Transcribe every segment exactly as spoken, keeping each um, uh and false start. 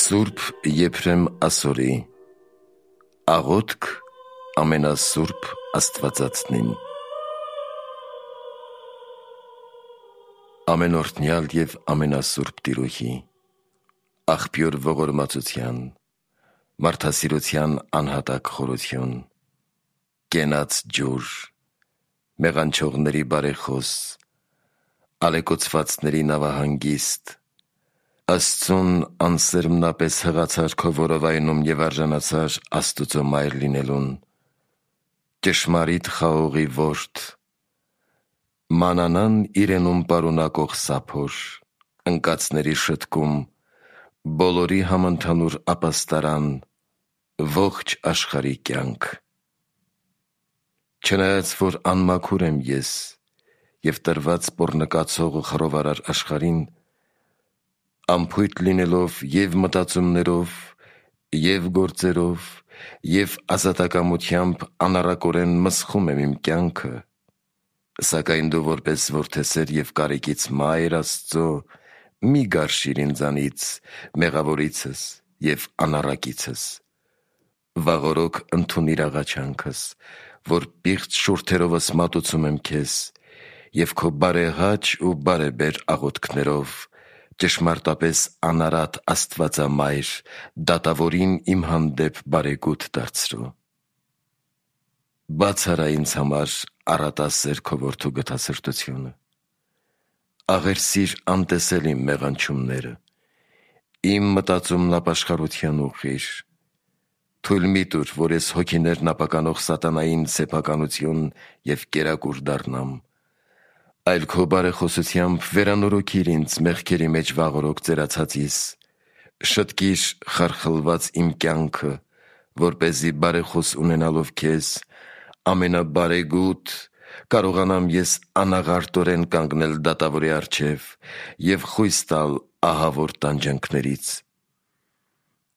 Սուրբ Եփրեմ Ասորի Աղոթք ամենասուրբ Աստվածածնին։ Ամենօրհնյալ և ամենասուրբ Տիրոջի, աղբյուր ողորմածության, մարդասիրության անհատակ խորություն, կենաց ջուր, մեղանչողների բարեխոս, ալեկոծվածների նավահանգիստ, Աստծուն անսերմնապես հղացար քո որովայնում և արժանացար Աստուծո մայր լինելուն, ճշմարիտ խաղողի որդի, մանանան իրենում պարունակող սափոր, ընկածների շտկում, բոլորի համընդհանուր ապաստարան, ողջ աշխարհի կյանք։ Չնայած որ անմաքուր եմ ես և տրված պոռնկացող ու խռովարար աշխարհին, անփույթ լինելով և մտածումներով, և գործերով, և ազատակամությամբ անառակորեն մսխում եմ իմ կյանքը, սակայն դու որպես որդեսեր և կարեկից մայր Աստծո մի գարշիր ինձանից, մեղավորիցս և անառակիցս, վաղօրոք ընդունիր աղաչանքս, որ պիղծ շուրթերովս մատուցում եմ քեզ և քո բարեհաճ ու բարեբեր աղոթքներով ճշմարտապես անարատ Աստվածամայր դատավորին իմ հանդեպ բարեգութ դարձրու։ Բաց արա ինձ համար առատասեր քո որդու գթասրտությունը, աղերսիր անտեսել իմ մեղանչումները, իմ մտածումն ապաշխարության ուղղիր, թույլ մի տուր, որ ես հոգիներն ապականող սատանային սեփականություն և կերակուր դառնամ, այլ քո բարեխոսությամբ վերանորոգիր ինձ մեղքերի մեջ վաղօրոք ծերացածիս, շտկիր խարխլված իմ կյանքը, որպեսզի բարեխոս ունենալով քեզ, ամենաբարեգութ, կարողանամ ես անաղարտորեն կանգնել դատավորի առջև և խույս տալ ահավոր տանջանքներից։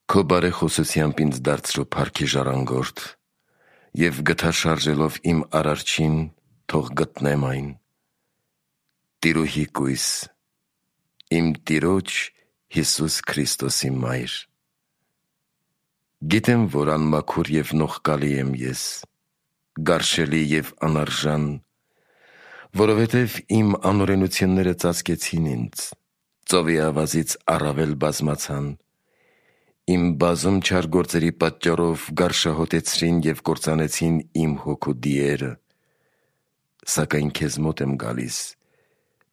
Քո բարեխոսությամբ ինձ դարձրու փառքի ժառանգորդ և գթաշարժելով իմ Արարչին, թող գտնեմ այն։ Տիրուհի կույս, իմ Տիրոջ Հիսուս Քրիստոսի մայր։ Գիտեմ, որ անմաքուր և նողկալի եմ ես, գարշելի և անարժան, որովհետև իմ անօրենությունները ծածկեցին ինձ, ծովի ավազից առավել բազմացան, իմ բազում չար գործերի պատճառով գարշահոտեցրին և կործանեցին իմ հոգու դիերը, սակայն քեզ մոտ եմ գալիս,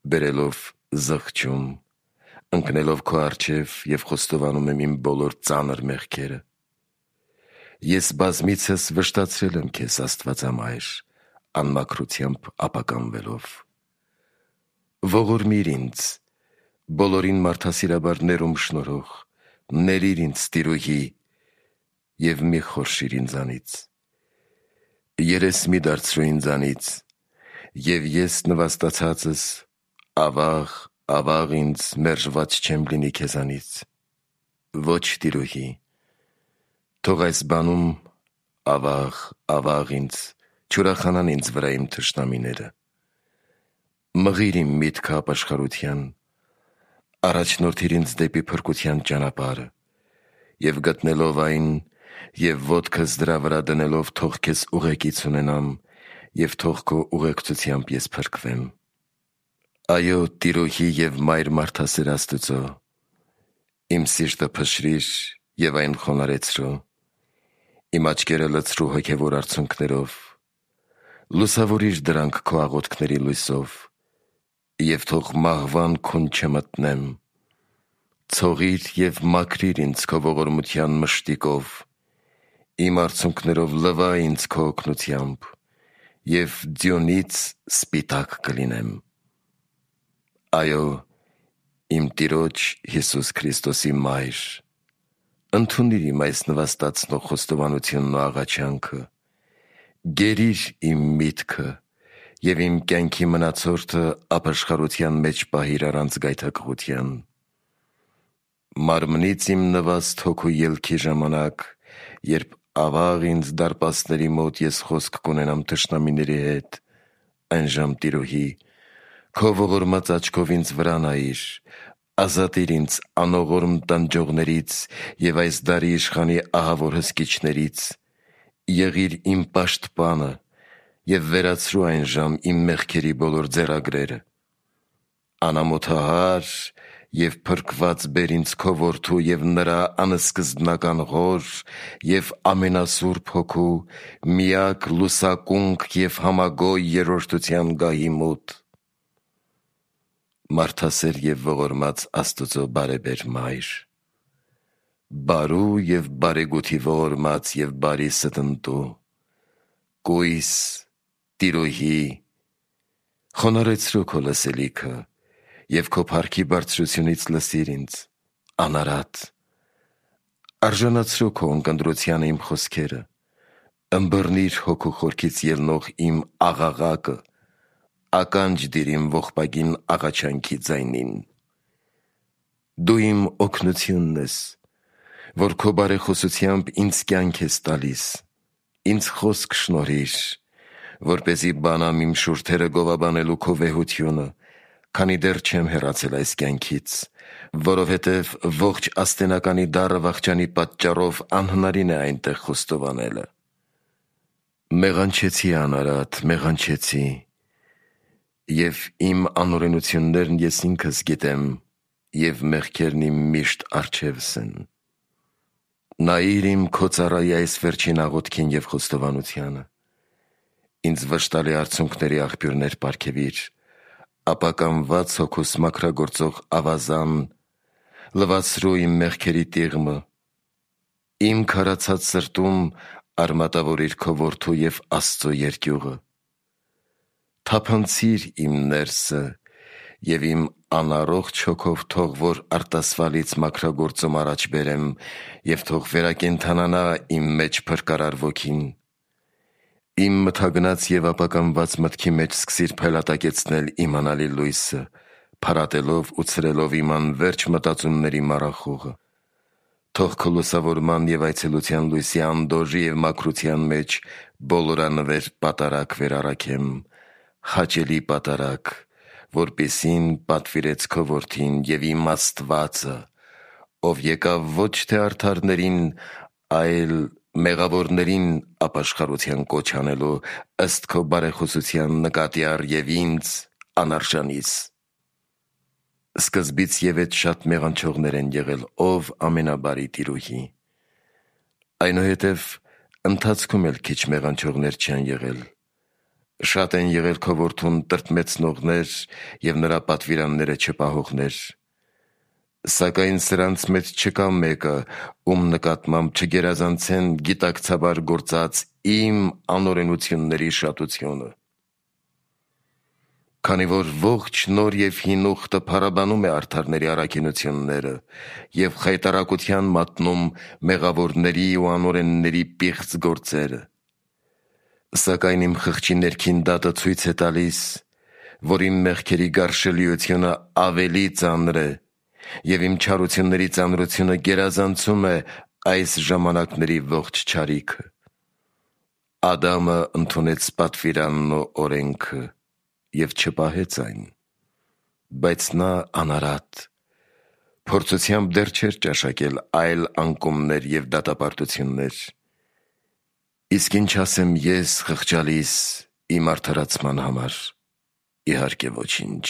բերելով զղջում, ընկնելով քո առջև և խոստովանում եմ իմ բոլոր ծանր մեղքերը։ Ես բազմիցս վշտացրել եմ քեզ, Աստվածամայր, անմաքրությամբ ապականվելով։ Ողորմիր ինձ, բոլորին մարդասիրաբար ներում շնորհող, ներիր ինձ, Տիրուհի, և մի խորշիր ինձանից։ Երես մի դարձրու ինձանից, և ես նվաստացածս ավաղ, ավաղ ինձ մերժված չեմ լինի քեզանից։ Ոչ, Տիրուհի, թող այս բանում ավաղ, ավաղ ինձ չուրախանան ինձ վրա իմ թշնամիները։ Մղիր իմ միտքը ապաշխարության, առաջնորդիր ինձ դեպի փրկության ճանապարհը, և գտնելով այն և ոտքս դրա վրա դնելով թող քեզ ուղեկից ունենամ և թող քո ուղեկցությամբ ես փրկվեմ։ Այո, Տիրուհի և մայր մարդասեր Աստծո, իմ սիրտը փշրիր և այն խոնարհեցրու, իմ աչքերը լցրու հոգևոր արցունքներով, լուսավորիր դրանք քո աղոթքների լույսով, և թող մահվան քուն չմտնեմ, ցողիր և մաքրիր ինձ քո ողորմության մշտիկով, իմ արցունքներով լվա ինձ քո օգնությամբ, և ձյունից սպիտակ կլինեմ։ Այո, իմ Տիրոջ Հիսուս Քրիստոսի մայր, ընդունիր իմ այս նվաստացնող խոստովանությունն ու աղաչանքը, գերիր իմ միտքը և իմ կյանքի մնացորդը ապաշխարության մեջ պահիր առանց գայթակղության։ Մարմնից իմ նվաստ հոգու ելքի ժամանակ, երբ ավաղ ինձ դարպասների մոտ ես խոսք կունենամ թշնամիների հետ, այնժամ, Տիրուհի, քո ողորմած աչքով ինձ վրա նայիր, ազատիր ինձ անողորմ տանջողներից և այս դարի իշխանի ահավոր հսկիչներից, եղիր իմ պաշտպանը և վերացրու այն ժամ իմ մեղքերի բոլոր ձեռագրերը, անամոթահար և փրկված բեր ինձ քո որդու և նրա անսկզբնական հոր և ամենասուրբ հոգու միակ լուսակունք և համագոյ երրորդության գահի մոտ, մարդասեր և ողորմած Աստծո բարեբեր Մայր, բարու և բարեգութի ողորմած և բարի ստնտու, կույս Տիրոհի, խոնարհեցրու քո լսելիքը և քո փառքի բարձրությունից լսիր ինձ, անարատ, արժանացրու քո ունկնդրությանը իմ խոսքերը, ըմբռնիր հոգու խորքից ելնող իմ աղաղակը, ականջ դիր իմ ողբագին աղաչանքի ձայնին: Դու իմ օգնությունն ես, որ քո բարեխոսությամբ ինձ կյանք ես տալիս, ինձ խոսք շնորհիր, որպեսզի բանամ իմ շուրթերը գովաբանելու քո վեհությունը, քանի դեռ չեմ հեռացել այս կյանքից, որովհետև ողջ աստենականի դառը վախճանի պատճառով անհնարին է այնտեղ խոստովանելը: Մեղանչեցի, անարատ, մեղանչեցի, և իմ անօրենություններն ես ինքս գիտեմ, և մեղքերն իմ միշտ առջևս են: Նայիր իմ քո ծառայի այս վերջին աղոթքին և խոստովանությանը, ինձ վշտալի արցունքների աղբյուրներ պարգևիր, ապականված հոգուս մաքրագործող ավազան, լվացրու իմ մեղքերի տիղմը, իմ քարացած սրտում արմատավորիր քո որդու և Աստծո երկյուղը, թափանցիր իմ ներսը և իմ անառողջ հոգով թող որ արտասվալից մաքրագործում առաջ բերեմ և թող վերակենդանանա իմ մեջ փրկարար ոգին, իմ մթագնած և ապականված մտքի մեջ սկսիր փայլատակեցնել իմանալի լույսը, փարատելով ու ցրելով իմ անվերջ մտածումների մառախուղը, թող քո լուսավորման և այցելության լույսի անդորրի և մաքրության մեջ բոլորանվեր պատարագ վերառաքեմ, հաճելի պատարագ, որպեսզի պատվիրեց քո որդին և իմ Աստվածը, ով եկավ ոչ թե արդարներին, այլ մեղավորներին ապաշխարության կոչ անելու ըստ քո բարեխոսության նկատի առ և ինձ անարժանիս: Սկզբից ևեթ շատ մեղանչողներ են եղել, ով ամենաբարի Տիրոհի, այնուհետև ընթացքում էլ քիչ մեղանչողներ չեն եղել, շատ են եղել քո որդուն տրտմեցնողներ և նրա պատվիրանները չպահողներ, սակայն սրանց մեջ չկա մեկը, ում նկատմամբ չգերազանցեն գիտակցաբար գործած իմ անօրենությունների շատությունը: Քանի որ ողջ նոր և հին ուխտը փառաբանում է արդարների առաքինությունները և խայտառակության մատնում մեղավորների ու անօրենների պիղծ գործերը, սակայն իմ խղճի ներքին դատը ցույց է տալիս, որ իմ մեղքերի գարշելիությունը ավելի ծանր է և իմ չարությունների ծանրությունը գերազանցում է այս ժամանակների ողջ չարիքը: Ադամը ընդունեց պատվիրանն ու օրենքը և չպահեց այն, բայց նա անարատ, փորձությամբ դեռ չէր ճաշակել այլ անկումներ և դատապարտություններ: Իսկ ինչ ասեմ ես խղճալիս իմ արդարացման համար: Իհարկե ոչինչ: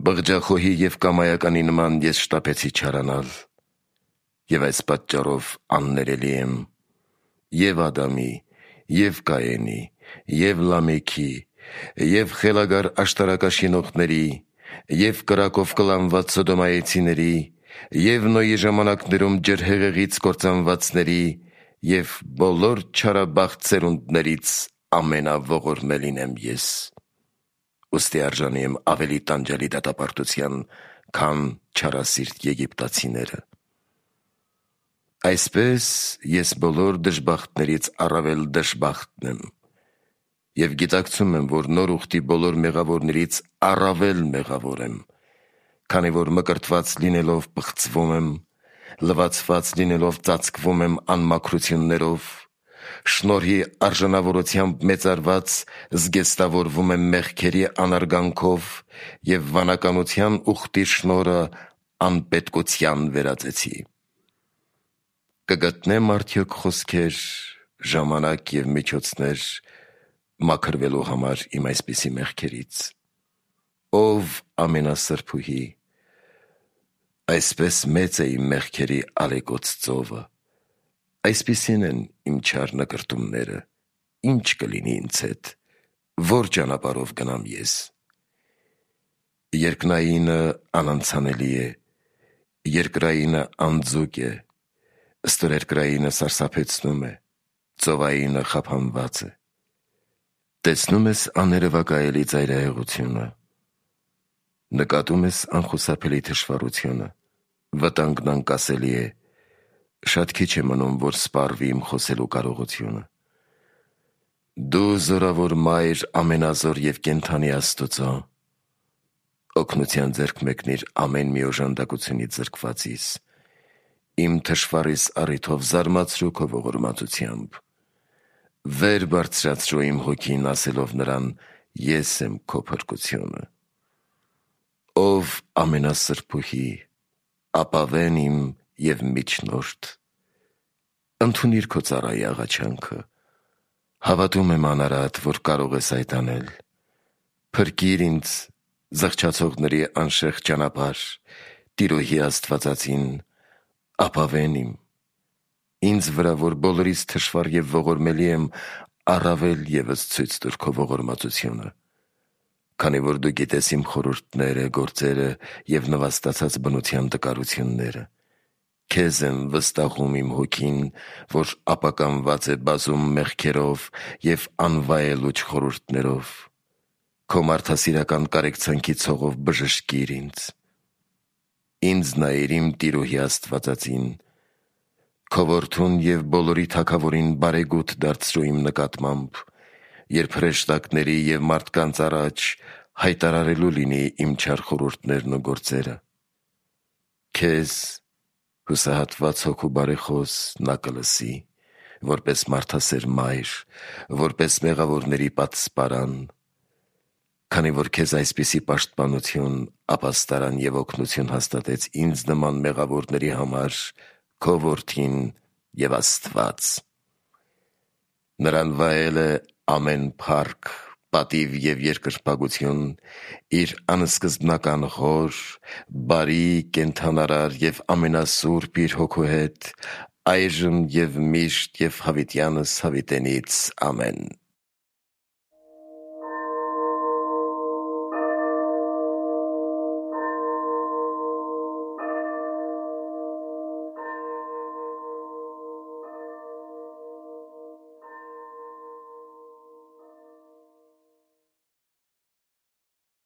Բղջախոհի և կամայականի նման ես շտապեցի չարանալ, և այս պատճառով աններելի եմ և Ադամի, և Կայենի, և Լամեքի, և խելագար աշտարակաշինողների, և կրակով կլանված սոդոմայեցիների, և Նոյի ժամանակներում ջրհեղեղից կործանվածների և բոլոր չարաբախտ սերունդներից ամենաողորմելին եմ ես: Ուստի արժանի եմ ավելի տանջալի դատապարտության, քան չարասիրտ եգիպտացիները: Այսպես ես բոլոր դժբախտներից առավել դժբախտն եմ և գիտակցում եմ, որ նոր ուխտի բոլոր մեղավորներից առավել մեղավոր եմ, քանի որ մկրտված լինելով պղծվում եմ, լվացված լինելով ծածկվում եմ անմաքրություններով, շնորհի արժանավորությամբ մեծարված զգեստավորվում եմ մեղքերի անարգանքով և վանականության ուխտի շնորհը անպետքության վերածեցի։ Կգտնեմ արդյոք խոսքեր, ժամանակ և միջոցներ մաքրվելու համար իմ այսպիսի մեղքերից։ Ով ամենասրբուհի, այսպես մեծ է իմ մեղքերի ալեկոծ ծովը, այսպիսին են իմ չար նկրտումները, ինչ կլինի ինձ հետ, որ ճանապարհով գնամ ես։ Երկնայինը անանցանելի է, երկրայինը անձուկ է, ստորերկրայինը սարսափեցնում է, ծովայինը խափանված է։ Տեսնում ես աներևակայելի ծայրահեղությունը, նկատում ես անխուսափելի թշվառությունը, վտանգն անկասելի է, շատ քիչ է մնում, որ սպառվի իմ խոսելու կարողությունը։ Դու զորավոր Մայր ամենազոր և կենդանի Աստծո, օգնության ձեռք մեկնիր ամեն մի օժանդակությունից զրկվածիս, իմ թշվառիս առիթով զարմացրու քո ողորմածությամբ, վեր բարձրացրու իմ հոգին ասելով նրան. ես եմ քո փրկությունը։ Ով ամենասրբուհի, ապավեն իմ և միջնորդ, ընդունիր քո ծառայի աղաչանքը, հավատում եմ անարատ, որ կարող ես այդ անել, փրկիր ինձ զղջացողների անշեղ ճանապարհ, Տիրոհի Աստվածածին, ապավեն իմ, ինձ վրա, որ բոլորից թշվառ և ողորմելի եմ, առավել ևս ցույց տուր քո ողորմածությունը, քանի որ դու գիտես իմ խորհուրդները, գործերը և նվաստացած բնության տկարությունները, քեզ եմ վստահում իմ հոգին, որ ապականված է բազում մեղքերով և անվայելուչ խորհուրդներով, քո մարդասիրական կարեկցանքի ցողով բժշկիր ինձ, ինձ նայիր իմ Տիրոհի Աստվածածին, քո որդուն և բոլորի թագավորին բարեգութ դարձրու իմ նկատմամբ, երբ հրեշտակների և մարդկանց առաջ հայտարարելու լինի իմ չար խորհուրդներն ու գործերը։ Քեզ, հուսահատված հոգու բարեխոս, նա կլսի, որպես մարդասեր մայր, որպես մեղավորների պատսպարան, քանի որ քեզ այսպիսի պաշտպանություն, ապաստարան և օգնություն հաստատեց ինձ նման մեղավորների համար քո Որդին և Աստված։ Նրան վայել է ամեն փառք, պատիվ և երկրպագություն իր անսկզբնական հոր, բարի, կենդանարար և ամենասուրբ իր Հոգու հետ, այժմ և միշտ և հավիտյանս հավիտենից։ Ամեն։